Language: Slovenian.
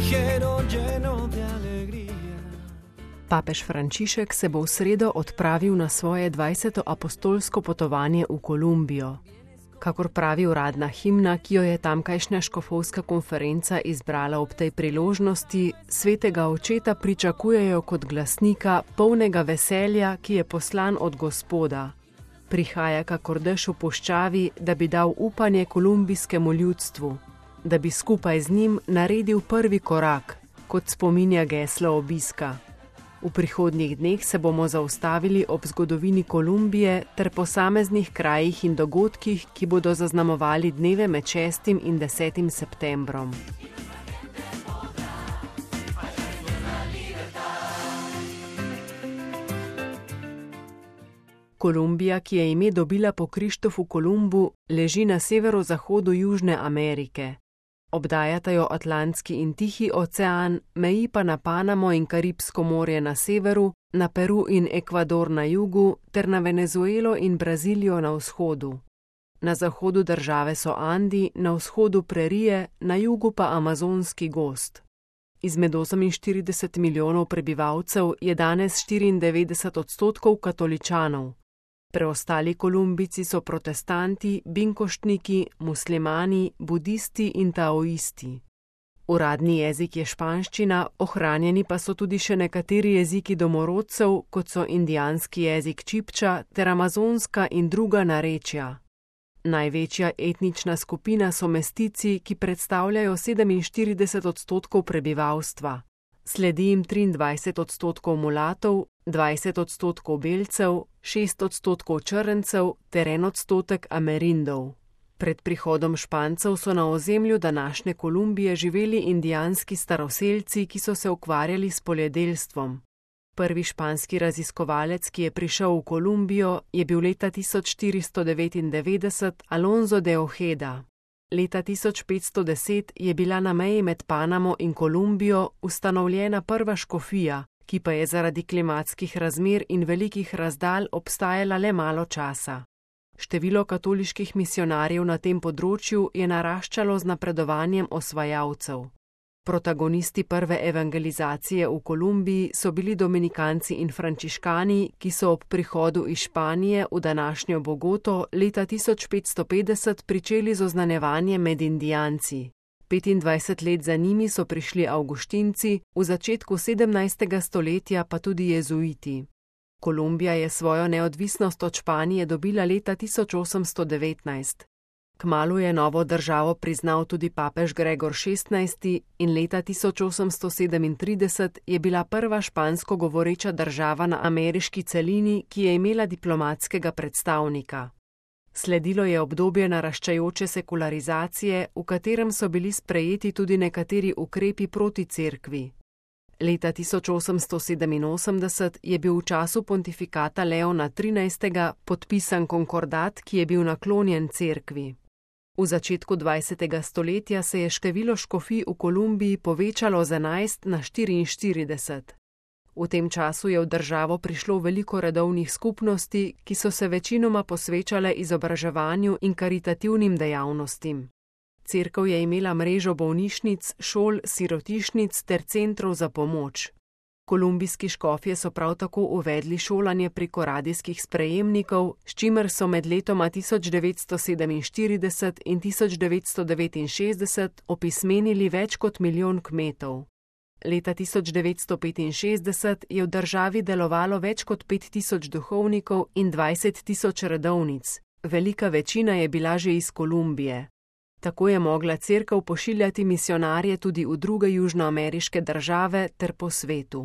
ligero, lleno de alegría. Papež Frančišek se bo v sredo odpravil na svoje 20. apostolsko potovanje v Kolumbijo. Kakor pravi uradna himna, ki jo je tamkajšnja škofovska konferenca izbrala ob tej priložnosti, svetega očeta pričakujejo kot glasnika, polnega veselja, ki je poslan od Gospoda. Prihaja kakor dež v puščavi, da bi dal upanje kolumbijskemu ljudstvu, da bi skupaj z njim naredil prvi korak, kot spominja geslo obiska. V prihodnjih dneh se bomo zaustavili ob zgodovini Kolumbije ter posameznih krajih in dogodkih, ki bodo zaznamovali dneve med 6. in 10. septembrom. Kolumbija, ki je ime dobila po Krištofu Kolumbu, leži na severozahodu Južne Amerike. Obdajata jo Atlantski in Tihi ocean, meji pa na Panamo in Karibsko morje na severu, na Peru in Ekvador na jugu ter na Venezuelo in Brazilijo na vzhodu. Na zahodu države so Andi, na vzhodu prerije, na jugu pa amazonski gozd. Izmed 48 milijonov prebivalcev je danes 94% katoličanov. Preostali Kolumbijci so protestanti, binkoštniki, muslimani, budisti in taoisti. Uradni jezik je španščina, ohranjeni pa so tudi še nekateri jeziki domorodcev, kot so indijanski jezik čipča ter amazonska in druga narečja. Največja etnična skupina so mestici, ki predstavljajo 47% prebivalstva. Sledi jim 23% mulatov, 20% belcev, 6% črncev ter 1% amerindov. Pred prihodom Špancev so na ozemlju današnje Kolumbije živeli indijanski staroselci, ki so se ukvarjali s poljedelstvom. Prvi španski raziskovalec, ki je prišel v Kolumbijo, je bil leta 1499 Alonso de Ojeda. Leta 1510 je bila na meji med Panamo in Kolumbijo ustanovljena prva škofija, ki pa je zaradi klimatskih razmer in velikih razdalj obstajala le malo časa. Število katoliških misijonarjev na tem področju je naraščalo z napredovanjem osvajalcev. Protagonisti prve evangelizacije v Kolumbiji so bili dominikanci in frančiškani, ki so ob prihodu iz Španije v današnjo Bogoto leta 1550 pričeli z oznanjevanjem med Indijanci. 25 let za njimi so prišli Avguštinci, v začetku 17. stoletja pa tudi jezuiti. Kolumbija je svojo neodvisnost od Španije dobila leta 1819. Kmalu je novo državo priznal tudi papež Gregor XVI in leta 1837 je bila prva špansko govoreča država na ameriški celini, ki je imela diplomatskega predstavnika. Sledilo je obdobje naraščajoče sekularizacije, v katerem so bili sprejeti tudi nekateri ukrepi proti cerkvi. Leta 1887 je bil v času pontifikata Leona XIII. Podpisan konkordat, ki je bil naklonjen cerkvi. V začetku 20. stoletja se je število škofij v Kolumbiji povečalo z 11 na 44. V tem času je v državo prišlo veliko redovnih skupnosti, ki so se večinoma posvečale izobraževanju in karitativnim dejavnostim. Cerkev je imela mrežo bolnišnic, šol, sirotišnic ter centrov za pomoč. Kolumbijski škofje so prav tako uvedli šolanje preko radijskih sprejemnikov, s čimer so med letoma 1947 in 1969 opismenili več kot milijon kmetov. Leta 1965 je v državi delovalo več kot 5000 duhovnikov in 20.000 redovnic. Velika večina je bila že iz Kolumbije. Tako je mogla cerkev pošiljati misijonarje tudi v druge južnoameriške države ter po svetu.